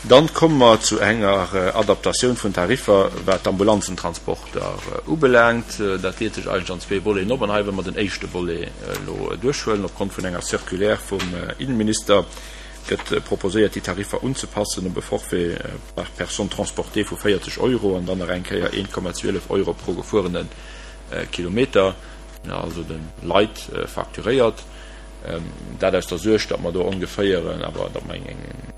Dann komme mer zu enger Adaptatioun vun Tariffer, wat d'Ambulanzentransporter ubelaangt. Dat deelt sech eigentlech an zwee Voleten op. An hei wëlle mer den éischte Volet elo duerchhuelen. Opgrond vun enger Circulaire vum Innenminister gëtt proposéiert, déi Tariffer unzepassen op e Forfait par personne transportée vu 40 Euro an dann nach eng Kéier 1,12 Euro pro gefuerene Kilometer, also de Leit facturéiert. Dat aus der Suerg, datt mer do ongeféier awer, datt mer eng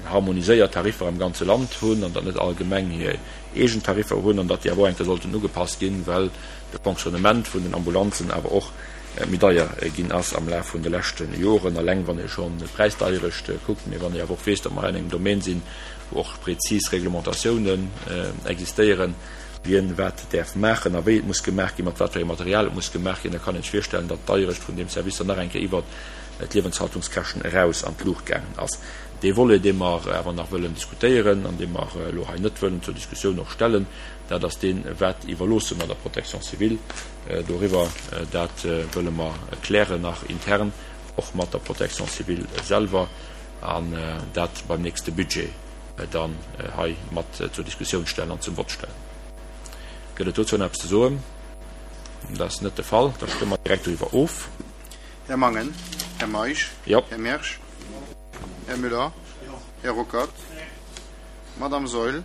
harmoniséiert Tariffer am ganze Land hunn an datt net all Gemeng hir eegen Tariffer hunn an datt déi awer och eng Kéier sollten ugepasst ginn, well de Fonctionnement vun den Ambulanzen awer och méi deier ginn ass am Laf vun de leschte Joren, eleng wann ee schonn d'Präisdeierecht kuckt, mee wann ee awer och weess, datt mer hei an engem Domaine sinn, wou och prezis Reglementatiounen existéieren. Wien wat däerf maachen a wéi et muss gemaach ginn, mat wat fir engem Material et muss gemaach ginn, da kann een sech virstellen, datt d'Deierecht vun deem Service dann nach eng Kéier iwwert d'Liewenshaltungskäschten eraus an d'Luucht gaangen ass. Dee Volet, dee mer awer nach wëllen diskutéieren an dee mer elo hei net wëllen zur Diskussioun och stellen, dat ass deen, Wat iwwerloosse mer der Protection civile doriwwer? Dat wëlle mer klären nach intern, och mat der Protection civile selwer, an dat beim nächste Budget. dann hei mat zur Diskussioun stellen an zum Vott stellen. Gëtt et dozou nach eppes ze soen? Dat ass net de Fall. Da stëmme mer direkt doriwwer of. Här Mangen. Här Meisch. Jo. Här Mersch. Här Müller. Här Ruckert. Madame Saeul.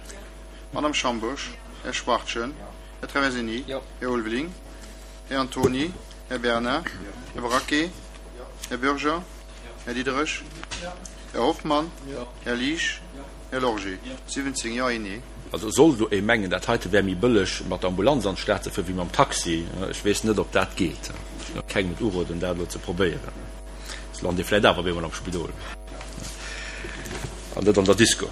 Madame Schambourg. Här Schwachtgen. Här Traversini. Här Ulveling. Här Antony. Här Bernard. Här Braquet. Här Bürger. Här Diderich. Här Hoffmann. Här Liesch. Här Lorgé. 17 Jo, een Nee. Also soll do ee mengen, dat heite wär méi bëlleg mat der Ambulanz an d'Stad ze fueren, wéi mam Taxi, ech weess net, ob dat geet. Ech géing kengem et uroden, dat elo ze probéieren. Soss lant ee vläicht awer op eemol am Spidol an net an der Disco.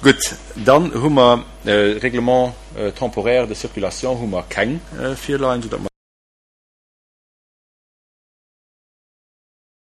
Gutt, dann hu mer Règlement temporaire de circulation hu mer keng virleien, soudatt mer.